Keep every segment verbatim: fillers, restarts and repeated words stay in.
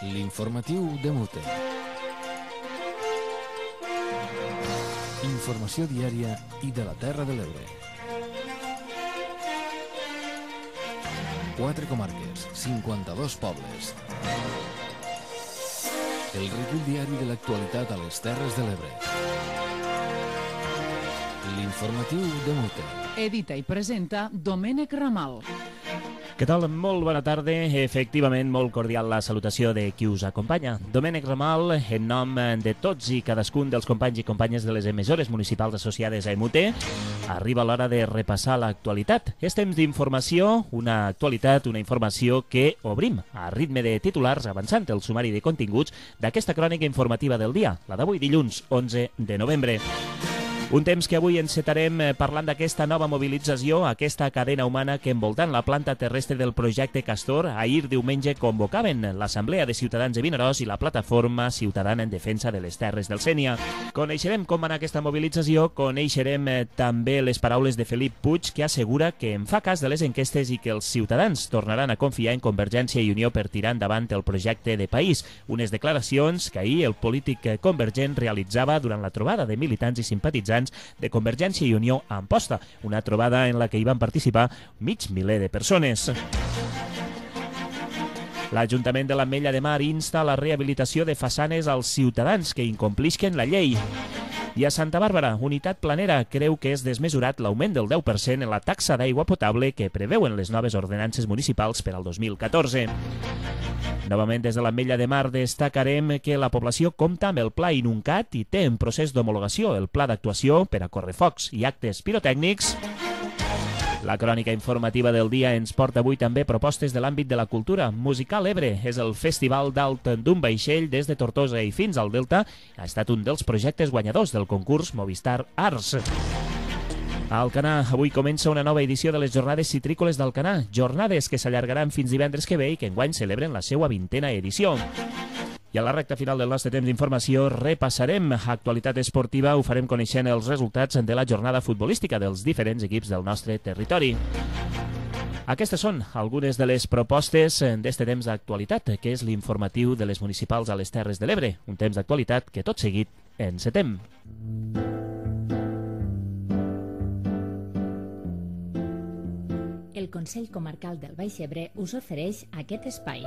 L'informatiu de Mute. Informació diària i de la Terra de l'Ebre. Quatre comarques, cinquanta-dos pobles. El recull diari de l'actualitat a les Terres de l'Ebre. L'informatiu de Mute. Edita i presenta Domènec Ramal. Què tal? Molt bona tarda. Efectivament, molt cordial la salutació de qui us acompanya. Domènec Ramal, en nom de tots i cadascun dels companys i companyes de les emissores municipals associades a E M U T E, arriba l'hora de repassar l'actualitat. És temps d'informació, una actualitat, una informació que obrim a ritme de titulars, avançant el sumari de continguts d'aquesta crònica informativa del dia, la d'avui dilluns onze de novembre. Un temps que avui encetarem parlant d'aquesta nova mobilització, aquesta cadena humana que envoltant la planta terrestre del projecte Castor ahir diumenge convocaven l'Assemblea de Ciutadans de Vinaròs i la Plataforma Ciutadana en Defensa de les Terres del Sénia. Coneixerem com va anar aquesta mobilització, coneixerem també les paraules de Felip Puig, que assegura que en fa cas de les enquestes i que els ciutadans tornaran a confiar en Convergència i Unió per tirar endavant el projecte de país. Unes declaracions que ahir el polític convergent realitzava durant la trobada de militants i simpatitzants de Convergència i Unió a Amposta, una trobada en la que hi van participar mig miler de persones. L'Ajuntament de l'Ametlla de Mar insta la rehabilitació de façanes als ciutadans que incomplisquen la llei. I a Santa Bàrbara, Unitat Planera creu que és desmesurat l'augment del deu per cent en la taxa d'aigua potable que preveuen les noves ordenances municipals per al dos mil catorze. Novament, des de l'Ametlla de Mar destacarem que la població compta amb el Pla Inuncat i té en procés d'homologació el Pla d'actuació per a correfocs i actes pirotècnics. La crònica informativa del dia ens porta avui també propostes de l'àmbit de la cultura. Musical Ebre és el festival d'alt d'un vaixell des de Tortosa i fins al Delta. Ha estat un dels projectes guanyadors del concurs Movistar Arts. A Alcanar, avui comença una nova edició de les Jornades Citrícoles d'Alcanar, jornades que s'allargaran fins divendres que ve i que enguany celebren la seva vintena edició. I a la recta final del nostre temps d'informació repassarem actualitat esportiva, ho farem coneixent els resultats de la jornada futbolística dels diferents equips del nostre territori. Aquestes són algunes de les propostes d'este temps d'actualitat, que és l'informatiu de les municipals a les Terres de l'Ebre, un temps d'actualitat que tot seguit encetem. El Consell Comarcal del Baix Ebre us ofereix aquest espai.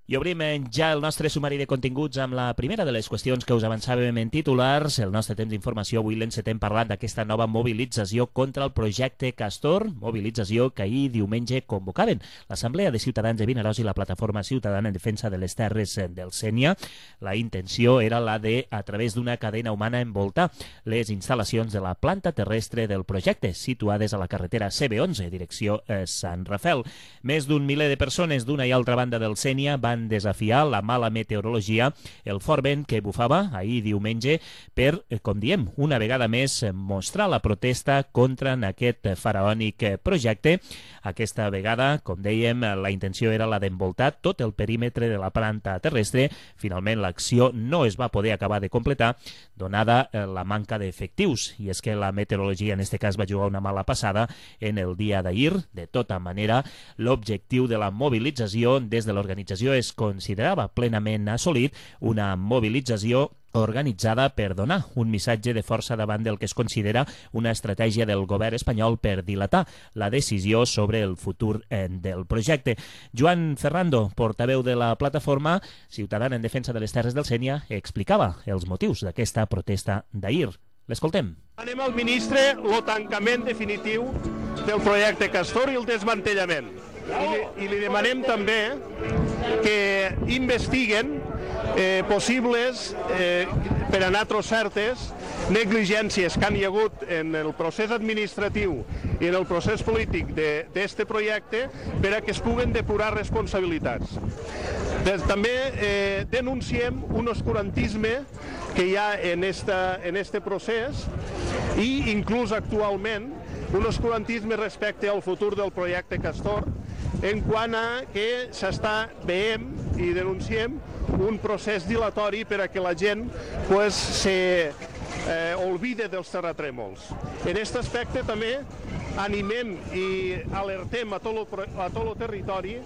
I obrim ja el nostre sumari de continguts amb la primera de les qüestions que us avançàvem en titulars. El nostre temps d'informació avui l'encetem parlant d'aquesta nova mobilització contra el projecte Castor, mobilització que ahir diumenge convocaven l'Assemblea de Ciutadans de Vinaròs i la Plataforma Ciutadana en Defensa de les Terres del Sénia. La intenció era la de, a través d'una cadena humana, envoltar les instal·lacions de la planta terrestre del projecte, situades a la carretera C B onze, direcció eh, Sant Rafel. Més d'un miler de persones d'una i altra banda del Sénia van desafiar la mala meteorologia, el fort vent que bufava ahir diumenge per, com diem, una vegada més mostrar la protesta contra aquest faraònic projecte. Aquesta vegada, com dèiem, la intenció era la d'envoltar tot el perímetre de la planta terrestre. Finalment, l'acció no es va poder acabar de completar, donada la manca d'efectius. I és que la meteorologia, en aquest cas, va jugar una mala passada en el dia d'ahir. De tota manera, l'objectiu de la mobilització des de l'organització es considerava plenament assolit, una mobilització organitzada per donar un missatge de força davant del que es considera una estratègia del govern espanyol per dilatar la decisió sobre el futur del projecte. Joan Ferrando, portaveu de la plataforma Ciutadana en Defensa de les Terres del Sénia, explicava els motius d'aquesta protesta d'ahir. L'escoltem. Anem al ministre el tancament definitiu del projecte Castor i el desmantellament. I li, i li demanem també que investiguen eh, possibles, eh, per a nosaltres certes, negligències que han hi hagut en el procés administratiu i en el procés polític d'aquest projecte per a que es puguen depurar responsabilitats. Des, també eh, denunciem un oscurantisme que hi ha en esta, en este procés i inclús actualment un oscurantisme respecte al futur del projecte Castor, en quant a que s'està veient i denunciem un procés dilatori per a que la gent pues, se eh, olvide dels terratrèmols. En aquest aspecte també animem i alertem a tot el, a tot el territori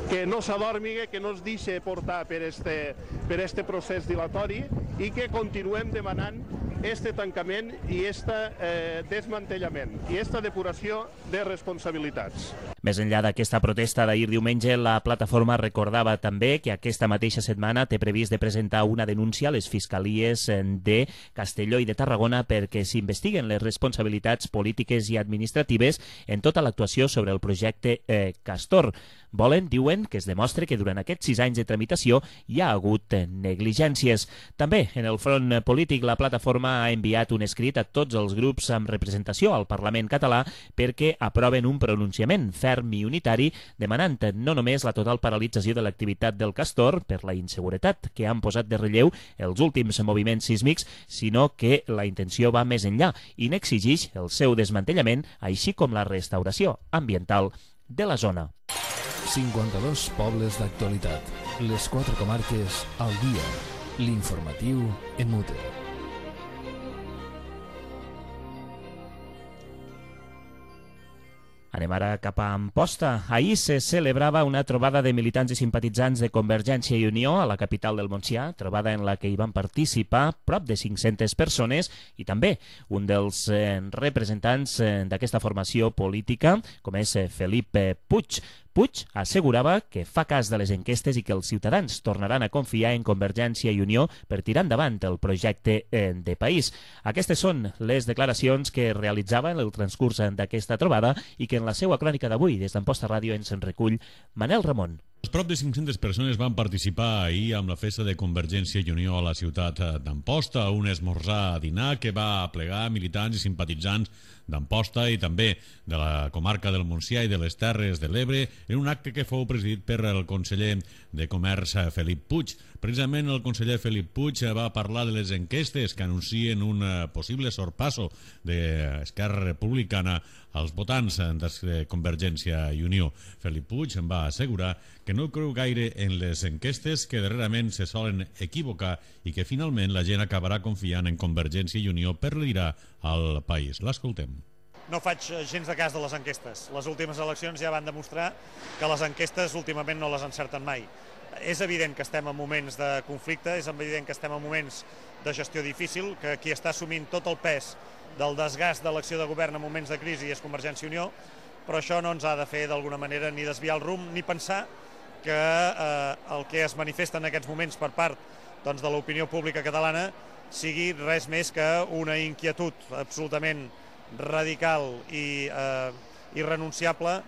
que no s'adormigue, que no es deixi portar per este, per este procés dilatori i que continuem demanant este tancament i este eh, desmantellament i esta depuració de responsabilitats. Més enllà d'aquesta protesta d'ahir diumenge, la plataforma recordava també que aquesta mateixa setmana té previst de presentar una denúncia a les fiscalies de Castelló i de Tarragona perquè s'investiguen les responsabilitats polítiques i administratives en tota l'actuació sobre el projecte eh, Castor. Volen, diuen, que es demostre que durant aquests sis anys de tramitació hi ha hagut negligències. També, en el front polític, la plataforma ha enviat un escrit a tots els grups amb representació al Parlament català perquè aproven un pronunciament ferm i unitari demanant no només la total paralització de l'activitat del Castor per la inseguretat que han posat de relleu els últims moviments sísmics, sinó que la intenció va més enllà i n'exigeix el seu desmantellament, així com la restauració ambiental de la zona. cinquanta-dos pobles d'actualitat. Les quatre comarques al dia. L'informatiu en mute. Anem ara cap a Amposta. Ahir se celebrava una trobada de militants i simpatitzants de Convergència i Unió a la capital del Montsià, trobada en la que hi van participar prop de cinc-centes persones i també un dels eh, representants eh, d'aquesta formació política, com és eh, Felip eh, Puig. Puig assegurava que fa cas de les enquestes i que els ciutadans tornaran a confiar en Convergència i Unió per tirar endavant el projecte eh, de país. Aquestes són les declaracions que realitzava en el transcurs d'aquesta trobada i que en la seva crònica d'avui des d'Amposta Ràdio ens en recull Manel Ramon. Prop de cinc-centes persones van participar ahir amb la festa de Convergència i Unió a la ciutat d'Amposta, un esmorzar a dinar que va plegar militants i simpatitzants d'Amposta i també de la comarca del Montsià i de les Terres de l'Ebre en un acte que fou presidit per el conseller de Comerç Felip Puig. Precisament el conseller Felip Puig va parlar de les enquestes que anuncien un possible sorpasso d'Esquerra Republicana als votants de Convergència i Unió. Felip Puig em va assegurar que no creu gaire en les enquestes, que darrerament se solen equivocar i que finalment la gent acabarà confiant en Convergència i Unió per liderar el país. L'escoltem. No faig gens de cas de les enquestes. Les últimes eleccions ja van demostrar que les enquestes últimament no les encerten mai. És evident que estem en moments de conflicte, és evident que estem en moments de gestió difícil, que qui està assumint tot el pes del desgast de l'acció de govern en moments de crisi és Convergència i Unió, però això no ens ha de fer d'alguna manera ni desviar el rumb ni pensar que eh, el que es manifesta en aquests moments per part doncs, de l'opinió pública catalana sigui res més que una inquietud absolutament radical i eh, irrenunciable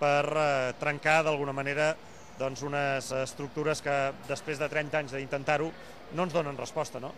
per eh, trencar d'alguna manera doncs, unes estructures que després de trenta anys d'intentar-ho no ens donen resposta. No?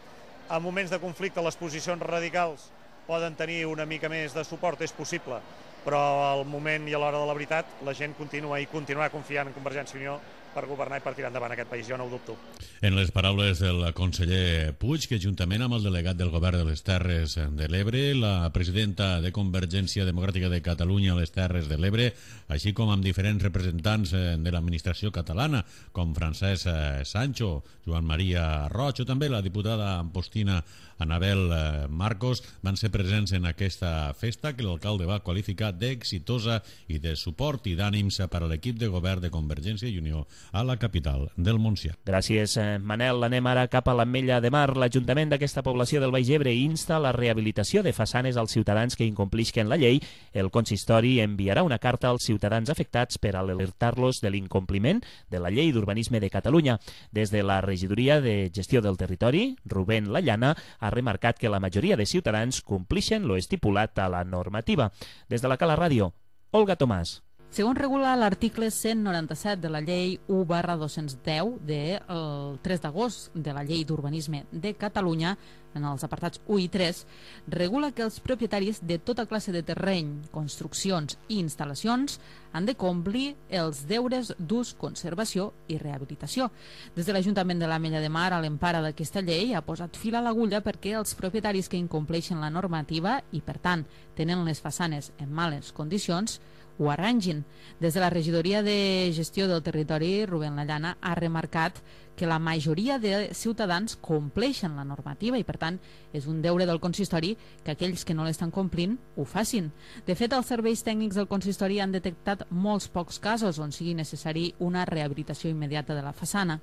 En moments de conflicte les posicions radicals poden tenir una mica més de suport, és possible, però al moment i a l'hora de la veritat la gent continua i continuarà confiant en Convergència i Unió per governar i per tirar endavant aquest país, jo no ho dubto. En les paraules del conseller Puig, que juntament amb el delegat del govern de les Terres de l'Ebre, la presidenta de Convergència Democràtica de Catalunya a les Terres de l'Ebre, així com amb diferents representants de l'administració catalana, com Francesc Sancho, Joan Maria Roig o també la diputada ampostina Anabel Marcos, van ser presents en aquesta festa que l'alcalde va qualificar d'exitosa i de suport i d'ànims per a l'equip de govern de Convergència i Unió a la capital del Montsià. Gràcies, Manel. Anem ara cap a l'Ametlla de Mar. L'Ajuntament d'aquesta població del Baix Ebre insta la rehabilitació de façanes als ciutadans que incomplisquen la llei. El consistori enviarà una carta als ciutadans afectats per alertar-los de l'incompliment de la llei d'urbanisme de Catalunya. Des de la Regidoria de Gestió del Territori, Rubén Lallana ha remarcat que la majoria de ciutadans complixen lo estipulat a la normativa. Des de la Cala Ràdio, Olga Tomàs. Segons regula l'article cent noranta-set de la llei u barra dos-cents deu del tres d'agost de la llei d'urbanisme de Catalunya, en els apartats u i tres, regula que els propietaris de tota classe de terreny, construccions i instal·lacions han de complir els deures d'ús, conservació i rehabilitació. Des de l'Ajuntament de l'Ametlla de Mar, a l'empara d'aquesta llei, ha posat fil a l'agulla perquè els propietaris que incompleixen la normativa i, per tant, tenen les façanes en males condicions, ho arrangin. Des de la regidoria de gestió del territori, Rubén Lallana ha remarcat que la majoria de ciutadans compleixen la normativa i, per tant, és un deure del consistori que aquells que no l'estan complint ho facin. De fet, els serveis tècnics del consistori han detectat molts pocs casos on sigui necessari una rehabilitació immediata de la façana.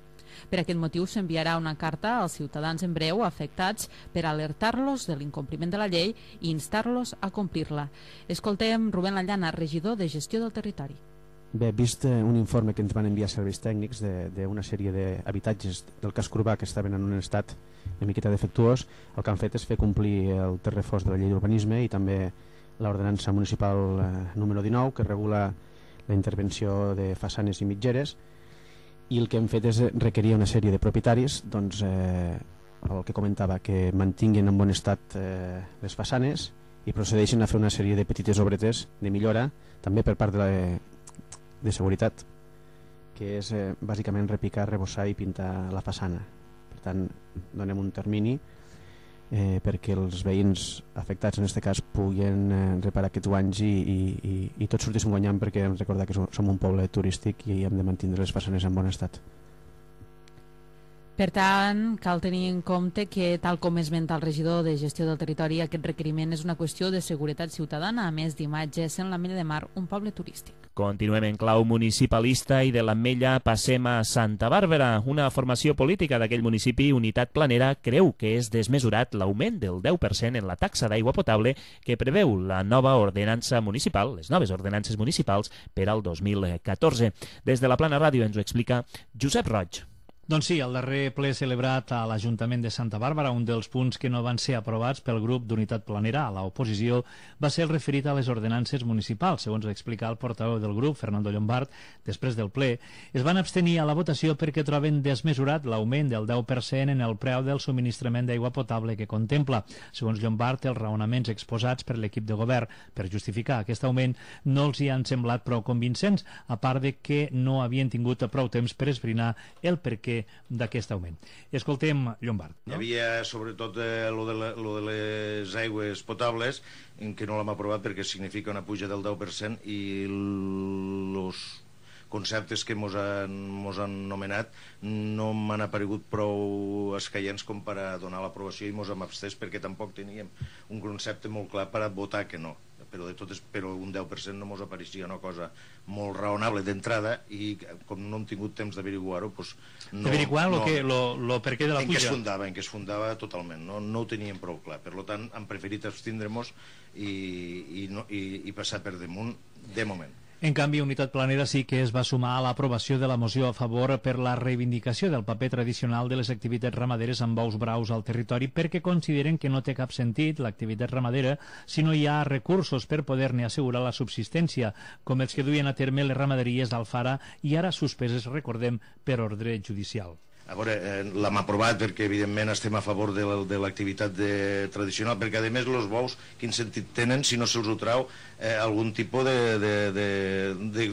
Per aquest motiu s'enviarà una carta als ciutadans en breu afectats per alertar-los de l'incompliment de la llei i instar-los a complir-la. Escoltem Rubén Lallana, regidor de gestió del territori. Bé, vist un informe que ens van enviar serveis tècnics d'una sèrie d'habitatges del casc urbà que estaven en un estat una miqueta defectuós, el que han fet és fer complir el text refós de la llei d'urbanisme i també l'ordenança municipal número dinou, que regula la intervenció de façanes i mitgeres, i el que hem fet és requerir una sèrie de propietaris, doncs, eh, el que comentava, que mantinguin en bon estat eh, les façanes i procedeixen a fer una sèrie de petites obretes de millora, també per part de la de seguretat, que és eh, bàsicament repicar, rebossar i pintar la façana. Per tant, donem un termini eh, perquè els veïns afectats en aquest cas puguin eh, reparar aquests guanys i, i, i, i tots sortíssim guanyant, perquè hem de recordar que som, som un poble turístic i hem de mantenir les façanes en bon estat. Per tant, cal tenir en compte que, tal com esmenta el regidor de gestió del territori, aquest requeriment és una qüestió de seguretat ciutadana, a més d'imatge, sent l'Ametlla de Mar un poble turístic. Continuem en clau municipalista i de l'Ametlla passem a Santa Bàrbara. Una formació política d'aquell municipi, Unitat Planera, creu que és desmesurat l'augment del deu per cent en la taxa d'aigua potable que preveu la nova ordenança municipal, les noves ordenances municipals per al dos mil catorze. Des de la Plana Ràdio ens ho explica Josep Roig. Doncs sí, el darrer ple celebrat a l'Ajuntament de Santa Bàrbara, un dels punts que no van ser aprovats pel grup d'Unitat Planera a l'oposició va ser el referit a les ordenances municipals. Segons explica el portaveu del grup, Fernando Llombart, després del ple, es van abstenir a la votació perquè troben desmesurat l'augment del deu per cent en el preu del subministrament d'aigua potable que contempla. Segons Llombart, els raonaments exposats per l'equip de govern per justificar aquest augment no els hi han semblat prou convincents, a part de que no havien tingut prou temps per esbrinar el perquè d'aquest augment. Escoltem Llombart. No? Hi havia sobretot eh, lo, de la, lo de les aigües potables, en què no l'hem aprovat perquè significa una puja del deu per cent i els conceptes que mos han, mos han nomenat no m'han aparegut prou escaients com per a donar l'aprovació i mos hem abstès perquè tampoc teníem un concepte molt clar per a votar que no. Però, de totes, però un deu per cent no mos apareixia una cosa molt raonable d'entrada i com no hem tingut temps d'averiguar-ho, doncs no... D'averiguar no, lo que, lo, lo per què de la en puja? En què es fundava, en què es fundava totalment, no, no ho teníem prou clar. Per tant, hem preferit abstindre-nos i, i, no, i, i passar per damunt de moment. En canvi, Unitat Planera sí que es va sumar a l'aprovació de la moció a favor per la reivindicació del paper tradicional de les activitats ramaderes amb bous braus al territori perquè consideren que no té cap sentit l'activitat ramadera si no hi ha recursos per poder-ne assegurar la subsistència, com els que duien a terme les ramaderies d'Alfara i ara suspeses, recordem, per ordre judicial. A veure, eh, l'hem aprovat perquè evidentment estem a favor de l'activitat tradicional, perquè a més els bous quin sentit tenen si no se'ls ho trau eh, algun tipus de, de, de, de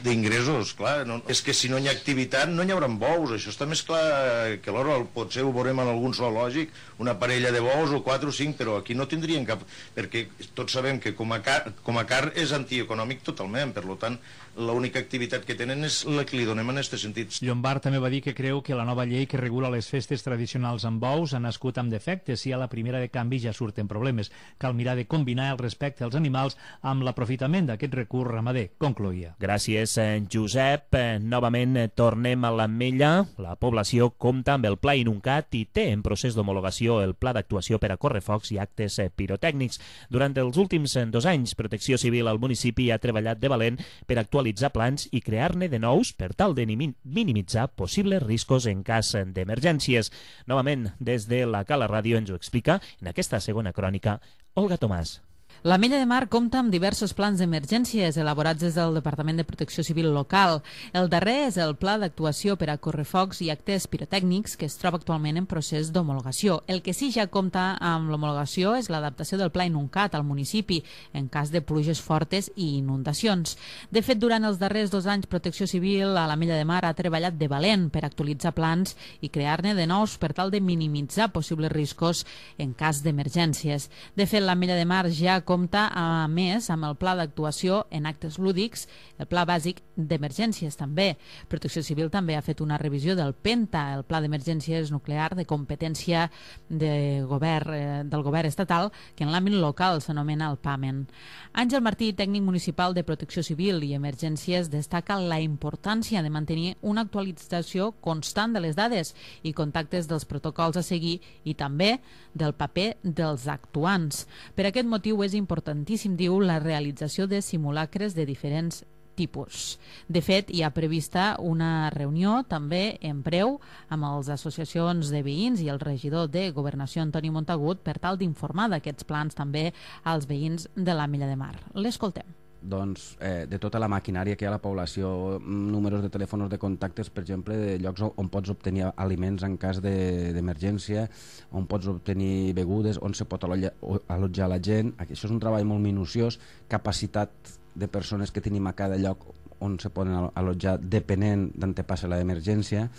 d'ingressos, clar, no, és que si no hi ha activitat no hi haurà bous, això està més clar que l'hora, potser ho veurem en algun zoològic, una parella de bous o quatre o cinc, però aquí no tindrien cap, perquè tots sabem que com a car, com a car és antieconòmic totalment, per tant, l'única activitat que tenen és la que li donem en aquest sentit. Llombart també va dir que creu que la nova llei que regula les festes tradicionals amb bous ha nascut amb defectes i a la primera de canvi ja surten problemes. Cal mirar de combinar el respecte als animals amb l'aprofitament d'aquest recurs ramader, concloïa. Gràcies, Josep. Novament tornem a l'Ametlla. La població compta amb el Pla Inuncat i té en procés d'homologació el Pla d'actuació per a correfocs i actes pirotècnics. Durant els últims dos anys, Protecció Civil al municipi ha treballat de valent per actualitzar plans i crear-ne de nous per tal de minimitzar possibles riscos en cas d'emergències. Novament, des de la Cala Ràdio ens ho explica en aquesta segona crònica Olga Tomàs. L'Ametlla de Mar compta amb diversos plans d'emergències elaborats des del Departament de Protecció Civil local. El darrer és el Pla d'actuació per a correfocs i actes pirotècnics que es troba actualment en procés d'homologació. El que sí ja compta amb l'homologació és l'adaptació del Pla Inuncat al municipi en cas de pluges fortes i inundacions. De fet, durant els darrers dos anys, Protecció Civil a l'Ametlla de Mar ha treballat de valent per actualitzar plans i crear-ne de nous per tal de minimitzar possibles riscos en cas d'emergències. De fet, l'Ametlla de Mar ja compta, a més, amb el Pla d'actuació en actes lúdics, el Pla bàsic d'emergències també. Protecció Civil també ha fet una revisió del PENTA, el Pla d'emergències nuclear de competència de govern, eh, del govern estatal, que en l'àmbit local s'anomena el PAMEN. Àngel Martí, tècnic municipal de Protecció Civil i Emergències, destaca la importància de mantenir una actualització constant de les dades i contactes dels protocols a seguir i també del paper dels actuants. Per aquest motiu és importantíssim, diu, la realització de simulacres de diferents tipus. De fet, hi ha prevista una reunió també en breu amb les associacions de veïns i el regidor de Governació, Antoni Montagut, per tal d'informar d'aquests plans també als veïns de l'Ametlla de Mar. L'escoltem. Doncs, eh, de tota la maquinària que hi ha a la població, números de telèfons de contactes, per exemple, de llocs on pots obtenir aliments en cas d'emergència, de, on pots obtenir begudes, on se pot allotjar la gent. Això és un treball molt minuciós, capacitat de persones que tenim a cada lloc on se poden allotjar depenent d'on te passa l'emergència.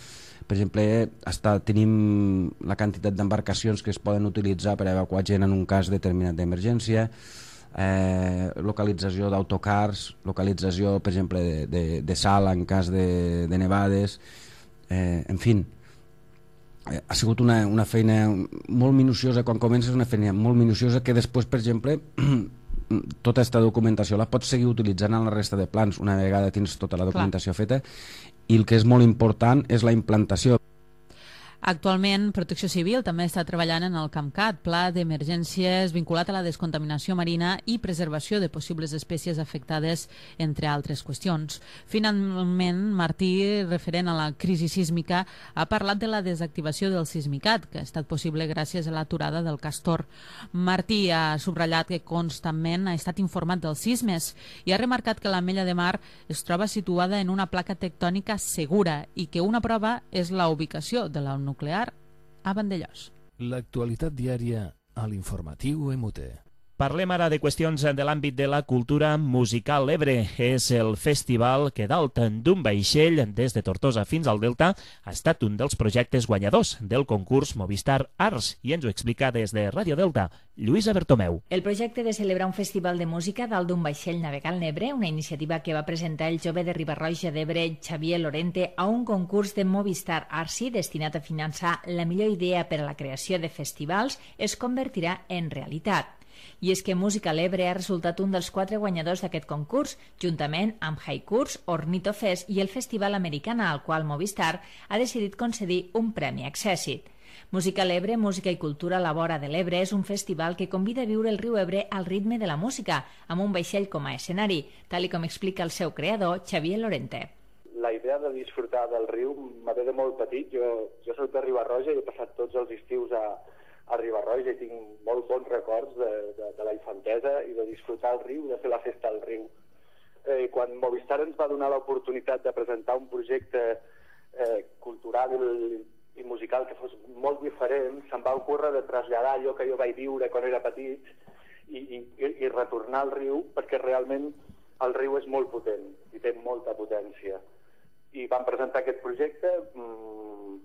Per exemple, hasta tenim la quantitat d'embarcacions que es poden utilitzar per evacuar gent en un cas determinat d'emergència. Eh, localització d'autocars, localització, per exemple, de, de, de sal en cas de, de nevades, eh, en fi, eh, ha sigut una, una feina molt minuciosa. Quan comences una feina molt minuciosa que després, per exemple, tota aquesta documentació la pots seguir utilitzant en la resta de plans una vegada tens tota la documentació Clar. feta, i el que és molt important és la implantació. Actualment, Protecció Civil també està treballant en el CAMCAT, Pla d'Emergències vinculat a la descontaminació marina i preservació de possibles espècies afectades, entre altres qüestions. Finalment, Martí, referent a la crisi sísmica, ha parlat de la desactivació del Sismicat, que ha estat possible gràcies a l'aturada del Castor. Martí ha subratllat que constantment ha estat informat dels sismes i ha remarcat que l'Ametlla de Mar es troba situada en una placa tectònica segura i que una prova és la ubicació de la nuclear a Vandellòs. L'actualitat diària a l'informatiu M U T. Parlem ara de qüestions de l'àmbit de la cultura musical. L'Ebre és el festival que dalt d'un vaixell des de Tortosa fins al Delta ha estat un dels projectes guanyadors del concurs Movistar Arts, i ens ho explica des de Ràdio Delta, Lluïsa Bertomeu. El projecte de celebrar un festival de música dalt d'un vaixell navegant l'Ebre, una iniciativa que va presentar el jove de Riba-roja d'Ebre, Xavier Lorente, a un concurs de Movistar Arts destinat a finançar la millor idea per a la creació de festivals, es convertirà en realitat. I és que Música a l'Ebre ha resultat un dels quatre guanyadors d'aquest concurs, juntament amb Haikurs, Ornito Fest i el Festival Americana, al qual Movistar ha decidit concedir un premi Accessit. Música a l'Ebre, Música i Cultura a la vora de l'Ebre és un festival que convida a viure el riu Ebre al ritme de la música, amb un vaixell com a escenari, tal com explica el seu creador, Xavier Lorente. La idea de disfrutar del riu me ve de molt petit. Jo, jo soc de Riba-roja i he passat tots els estius a a Riba-roja i tinc molt bons records de, de, de la infantesa i de disfrutar el riu, de fer la festa al riu. Eh, quan Movistar ens va donar l'oportunitat de presentar un projecte eh, cultural i, i musical que fos molt diferent, se'm va ocórrer de traslladar allò que jo vaig viure quan era petit i, i, i retornar al riu, perquè realment el riu és molt potent i té molta potència. I vam presentar aquest projecte mmm,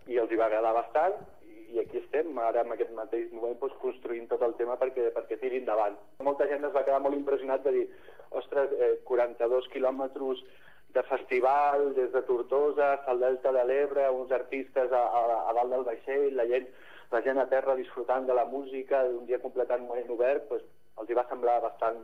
i els hi va agradar bastant, i aquí estem, ara en aquest mateix moment doncs, construint tot el tema perquè, perquè tiri endavant. Molta gent es va quedar molt impressionat de dir, ostres, eh, quaranta-dos quilòmetres de festival des de Tortosa fins al Delta de l'Ebre, uns artistes a, a, a dalt del vaixell, la gent, la gent a terra disfrutant de la música, d'un dia completament obert, doncs, els hi va semblar bastant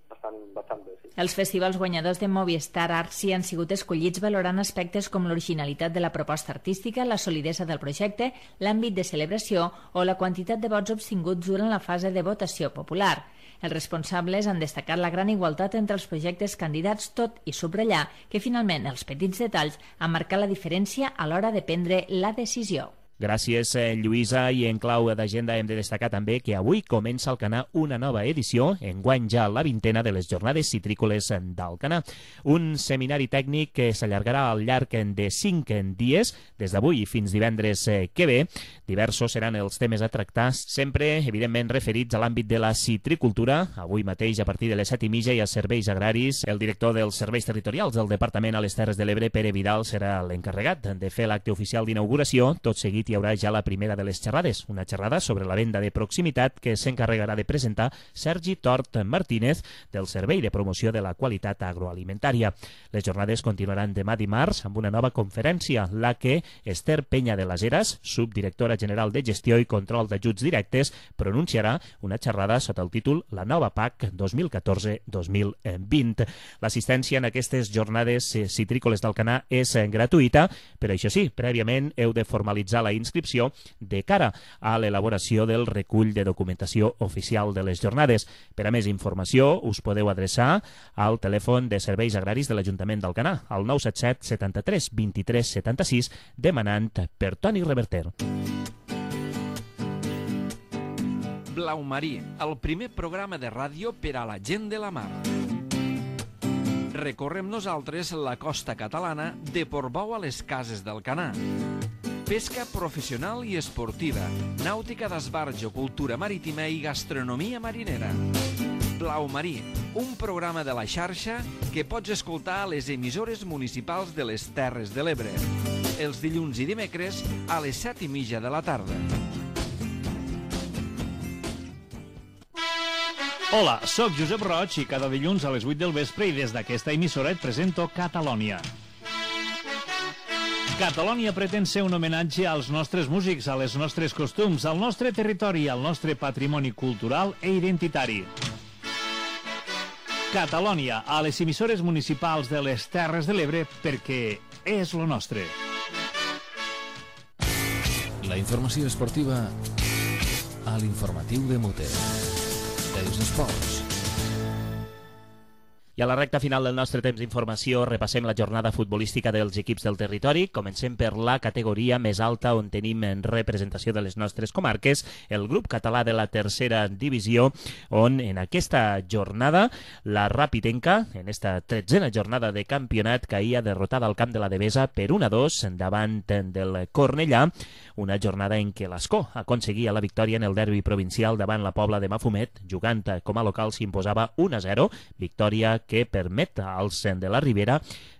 Bastant, bastant bé, sí. Els festivals guanyadors de Movistar Arts han sigut escollits valorant aspectes com l'originalitat de la proposta artística, la solidesa del projecte, l'àmbit de celebració o la quantitat de vots obtinguts durant la fase de votació popular. Els responsables han destacat la gran igualtat entre els projectes candidats, tot i subratllar que finalment els petits detalls han marcat la diferència a l'hora de prendre la decisió. Gràcies, Lluïsa, i en clau d'agenda hem de destacar també que avui comença al Canà una nova edició, enguany ja la vintena de les jornades citrícoles d'Alcanar. Un seminari tècnic que s'allargarà al llarg de cinc dies, des d'avui fins divendres que ve. Diversos seran els temes a tractar, sempre, evidentment, referits a l'àmbit de la citricultura. Avui mateix, a partir de les set i mitja, hi ha serveis agraris. El director dels serveis territorials del Departament a les Terres de l'Ebre, Pere Vidal, serà l'encarregat de fer l'acte oficial d'inauguració, tot seguit hi haurà ja la primera de les xerrades, una xerrada sobre la venda de proximitat que s'encarregarà de presentar Sergi Tort Martínez del Servei de Promoció de la Qualitat Agroalimentària. Les jornades continuaran demà dimarts amb una nova conferència, la que Esther Peña de las Heras, subdirectora general de Gestió i Control d'Ajuts Directes, pronunciarà una xerrada sota el títol La nova P A C dos mil catorze dos mil vint. L'assistència en aquestes jornades citrícoles d'Alcanar és gratuïta, però això sí, prèviament heu de formalitzar la inscripció de cara a l'elaboració del recull de documentació oficial de les jornades. Per a més informació us podeu adreçar al telèfon de serveis agraris de l'Ajuntament d'Alcanar, al nou set set setanta-tres vint-i-tres setanta-sis, demanant per Toni Reverter. Blau Marí, el primer programa de ràdio per a la gent de la mar. Recorrem nosaltres la costa catalana de Portbou a les Cases d'Alcanar. Pesca professional i esportiva, nàutica d'esbarjo, cultura marítima i gastronomia marinera. Blau Marí, un programa de la xarxa que pots escoltar a les emissores municipals de les Terres de l'Ebre, els dilluns i dimecres a les set i mitja de la tarda. Hola, sóc Josep Roig i cada dilluns a les vuit del vespre i des d'aquesta emissora et presento Catalònia. Catalònia pretén ser un homenatge als nostres músics, a les nostres costums, al nostre territori, al nostre patrimoni cultural e identitari. Catalònia, a les emissores municipals de les Terres de l'Ebre, perquè és lo nostre. La informació esportiva a l'informatiu de Mote. Els esports. I a la recta final del nostre temps d'informació repassem la jornada futbolística dels equips del territori. Comencem per la categoria més alta on tenim en representació de les nostres comarques el grup català de la tercera divisió, on en aquesta jornada la Rapitenca, en esta tretzena jornada de campionat, caïa derrotada al camp de la Devesa per un a dos davant del Cornellà, una jornada en què l'Escó aconseguia la victòria en el derbi provincial davant la Pobla de Mafumet, jugant com a local s'imposava un a zero, victòria que permet als de la Ribera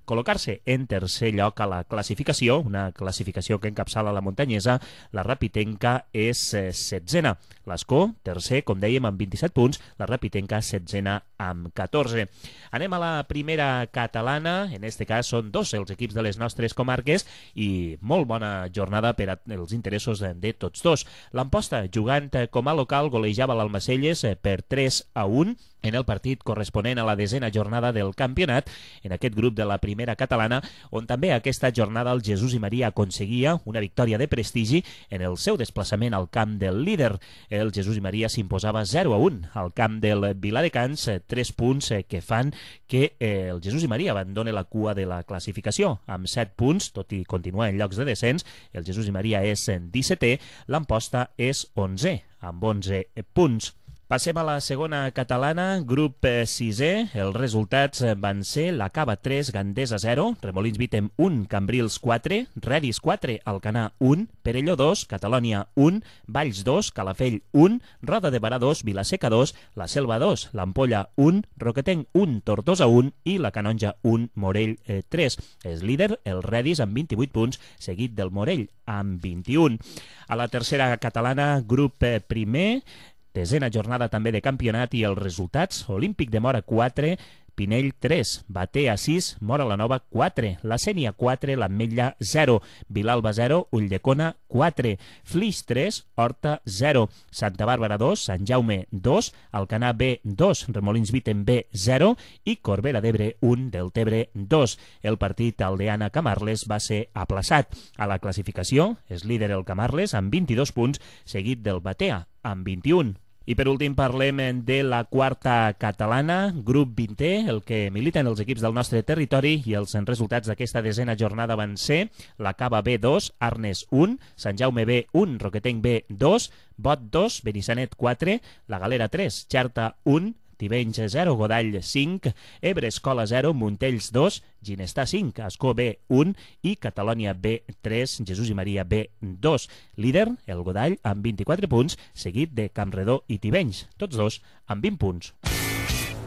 col·locar-se en tercer lloc a la classificació, una classificació que encapçala la muntanyesa. La Rapitenca és setzena. L'Escó, tercer, com dèiem, amb vint-i-set punts. La Rapitenca, setzena, amb catorze. Anem a la primera catalana. En este cas són dos els equips de les nostres comarques i molt bona jornada per als interessos de tots dos. L'Amposta, jugant com a local, golejava l'Almacelles per tres a un en el partit corresponent a la desena jornada del campionat, en aquest grup de la primera catalana, on també aquesta jornada el Jesús i Maria aconseguia una victòria de prestigi en el seu desplaçament al camp del líder. El Jesús i Maria s'imposava zero a un al camp del Viladecans, tres punts que fan que el Jesús i Maria abandone la cua de la classificació. Amb set punts, tot i continuar en llocs de descens, el Jesús i Maria és dissetè, l'Amposta és onzè, amb onze punts. Passem a la segona catalana, grup sisè. Els resultats van ser la Cava tres, Gandesa zero, Remolins Vítem un, Cambrils quatre, Redis quatre, Alcanar un, Perelló dos, Catalònia un, Valls dos, Calafell un, Roda de Barà dos, Vilaseca dos, La Selva dos, l'Ampolla un, Roquetenc un, Tortosa un i la Canonja un, Morell tres. És líder el Redis amb vint-i-vuit punts, seguit del Morell amb vint-i-un. A la tercera catalana, grup primer, desena jornada també de campionat i els resultats: Olímpic de Mora quatre, Pinell tres, Batea sis, Mora la Nova quatre, La Sénia quatre, l'Ametlla zero, Vilalba zero, Ulldecona quatre, Flix tres, Horta zero, Santa Bàrbara dos, Sant Jaume dos, Alcanar B dos, Remolins Vítem B zero i Corbera d'Ebre un, Deltebre dos. El partit Aldeana-Camarles va ser aplaçat. A la classificació és líder el Camarles amb vint-i-dos punts, seguit del Batea amb vint-i-un. I per últim parlem de la quarta catalana, grup vintè, el que militen els equips del nostre territori, i els resultats d'aquesta desena jornada van ser la Cava B dos, Arnes un, Sant Jaume B un, Roquetenc B dos, Bot dos, Benissanet quatre, La Galera tres, Xerta un, Tivenys zero, Godall cinc, Ebre Escola zero, Montells dos, Ginestà cinc, Ascó B un i Catalònia B tres, Jesús i Maria B dos. Líder, el Godall, amb vint-i-quatre punts, seguit de Campredó i Tivenys, tots dos amb vint punts.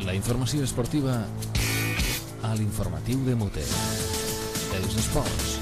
La informació esportiva a l'informatiu de Mote. Els esports.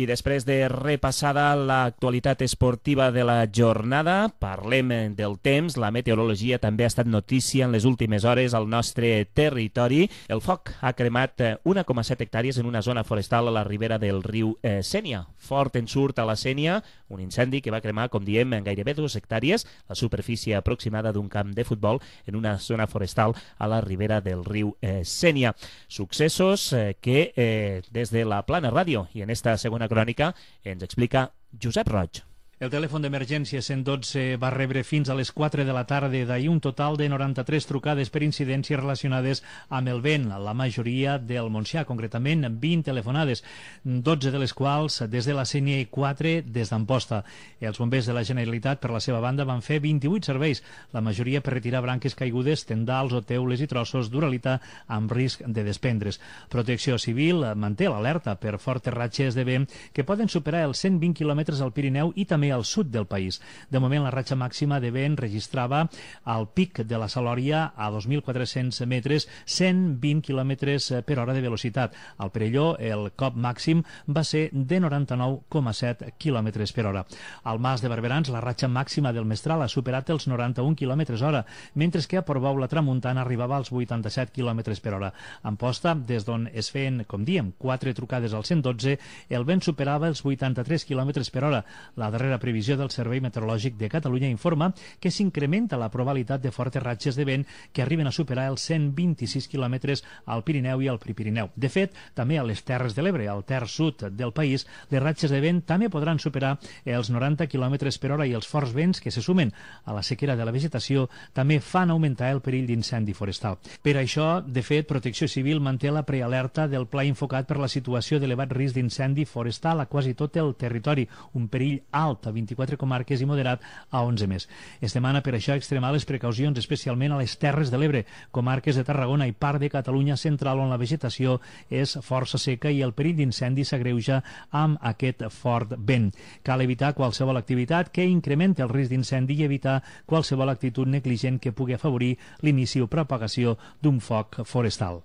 I després de repassada l'actualitat esportiva de la jornada, parlem del temps. La meteorologia també ha estat notícia en les últimes hores al nostre territori. El foc ha cremat un coma set hectàrees en una zona forestal a la ribera del riu eh, Sénia. Fort ensurt a la Sénia, un incendi que va cremar, com diem, en gairebé dues hectàrees, la superfície aproximada d'un camp de futbol en una zona forestal a la ribera del riu eh, Sénia. Successos eh, que eh, des de la Plana Ràdio i en esta segona crònica ens explica Josep Roig. El telèfon d'emergència cent dotze va rebre fins a les quatre de la tarda d'ahir un total de noranta-tres trucades per incidències relacionades amb el vent, la majoria del Montsià, concretament vint telefonades, dotze de les quals des de la C N I quatre des d'Amposta. Els bombers de la Generalitat, per la seva banda, van fer vint-i-vuit serveis, la majoria per retirar branques caigudes, tendals o teules i trossos d'uralita amb risc de desprendre's. Protecció Civil manté l'alerta per fortes ratxes de vent que poden superar els cent vint quilòmetres al Pirineu i també al sud del país. De moment, la ratxa màxima de vent registrava al pic de la Salòria a dos mil quatre-cents metres, cent vint quilòmetres per hora de velocitat. Al Perelló, el cop màxim va ser de noranta-nou coma set quilòmetres per hora. Al Mas de Barberans, la ratxa màxima del Mestral ha superat els noranta-un quilòmetres hora, mentre que a Portbou la tramuntana arribava als vuitanta-set quilòmetres per hora. A Amposta, des d'on es feien, com diem, quatre trucades al cent dotze, el vent superava els vuitanta-tres quilòmetres per hora. La darrera previsió del Servei Meteorològic de Catalunya informa que s'incrementa la probabilitat de fortes ratxes de vent que arriben a superar els cent vint-i-sis quilòmetres al Pirineu i al Prepirineu. De fet, també a les Terres de l'Ebre, al terç sud del país, les ratxes de vent també podran superar els noranta quilòmetres per hora i els forts vents que se sumen a la sequera de la vegetació també fan augmentar el perill d'incendi forestal. Per això, de fet, Protecció Civil manté la prealerta del pla infocat per la situació d'elevat risc d'incendi forestal a quasi tot el territori, un perill alt a vint-i-quatre comarques i moderat a onze més. Es demana per això extremar les precaucions, especialment a les Terres de l'Ebre, comarques de Tarragona i part de Catalunya central, on la vegetació és força seca i el perill d'incendi s'agreuja amb aquest fort vent. Cal evitar qualsevol activitat que incrementi el risc d'incendi i evitar qualsevol actitud negligent que pugui afavorir l'inici o propagació d'un foc forestal.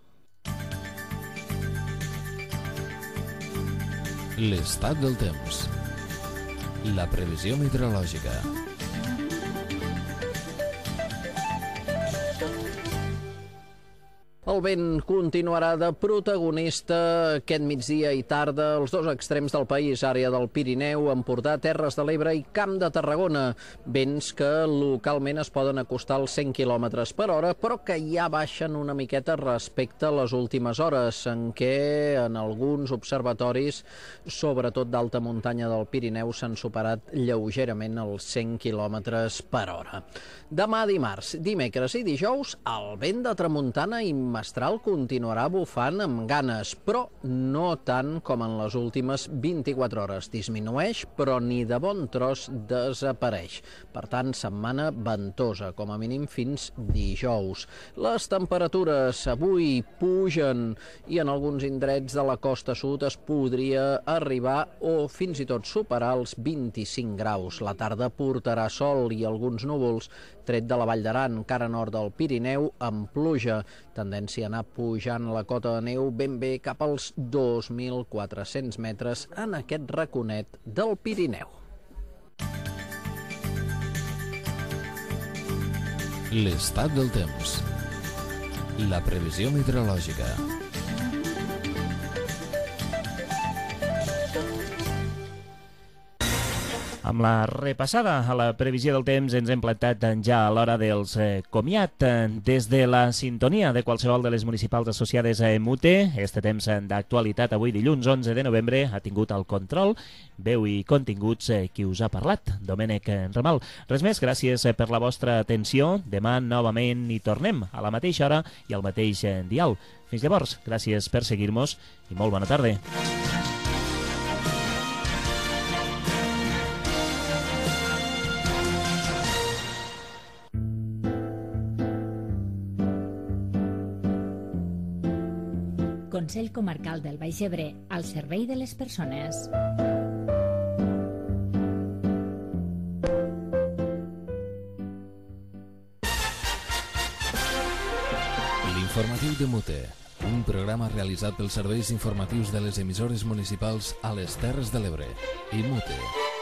L'estat del temps. La previsió meteorològica. El vent continuarà de protagonista aquest migdia i tarda als dos extrems del país, àrea del Pirineu, Empordà, Terres de l'Ebre i Camp de Tarragona. Vents que localment es poden acostar als cent quilòmetres per hora, però que ja baixen una miqueta respecte a les últimes hores, en què en alguns observatoris, sobretot d'alta muntanya del Pirineu, s'han superat lleugerament els cent quilòmetres per hora. Demà dimarts, dimecres i dijous, el vent de tramuntana i mestral continuarà bufant amb ganes, però no tant com en les últimes vint-i-quatre hores. Disminueix, però ni de bon tros desapareix. Per tant, setmana ventosa, com a mínim fins dijous. Les temperatures avui pugen i en alguns indrets de la costa sud es podria arribar o fins i tot superar els vint-i-cinc graus. La tarda portarà sol i alguns núvols, tret de la Vall d'Aran, cara nord del Pirineu, amb pluja. Tendència a anar pujant la cota de neu ben bé cap als dos mil quatre-cents metres en aquest raconet del Pirineu. L'estat del temps. La previsió meteorològica. Amb la repassada a la previsió del temps ens hem plantat ja a l'hora dels eh, comiat. Des de la sintonia de qualsevol de les municipals associades a Emute, este temps d'actualitat avui dilluns onze de novembre ha tingut el control, veu i continguts eh, qui us ha parlat, Domènec Ramal. Res més, gràcies per la vostra atenció. Demà novament hi tornem a la mateixa hora i al mateix eh, dial. Fins llavors, gràcies per seguir-nos i molt bona tarda. Consell Comarcal del Baix Ebre, al servei de les persones. L'informatiu de Mute, un programa realitzat pels serveis informatius de les emissores municipals a les Terres de l'Ebre. I Mute.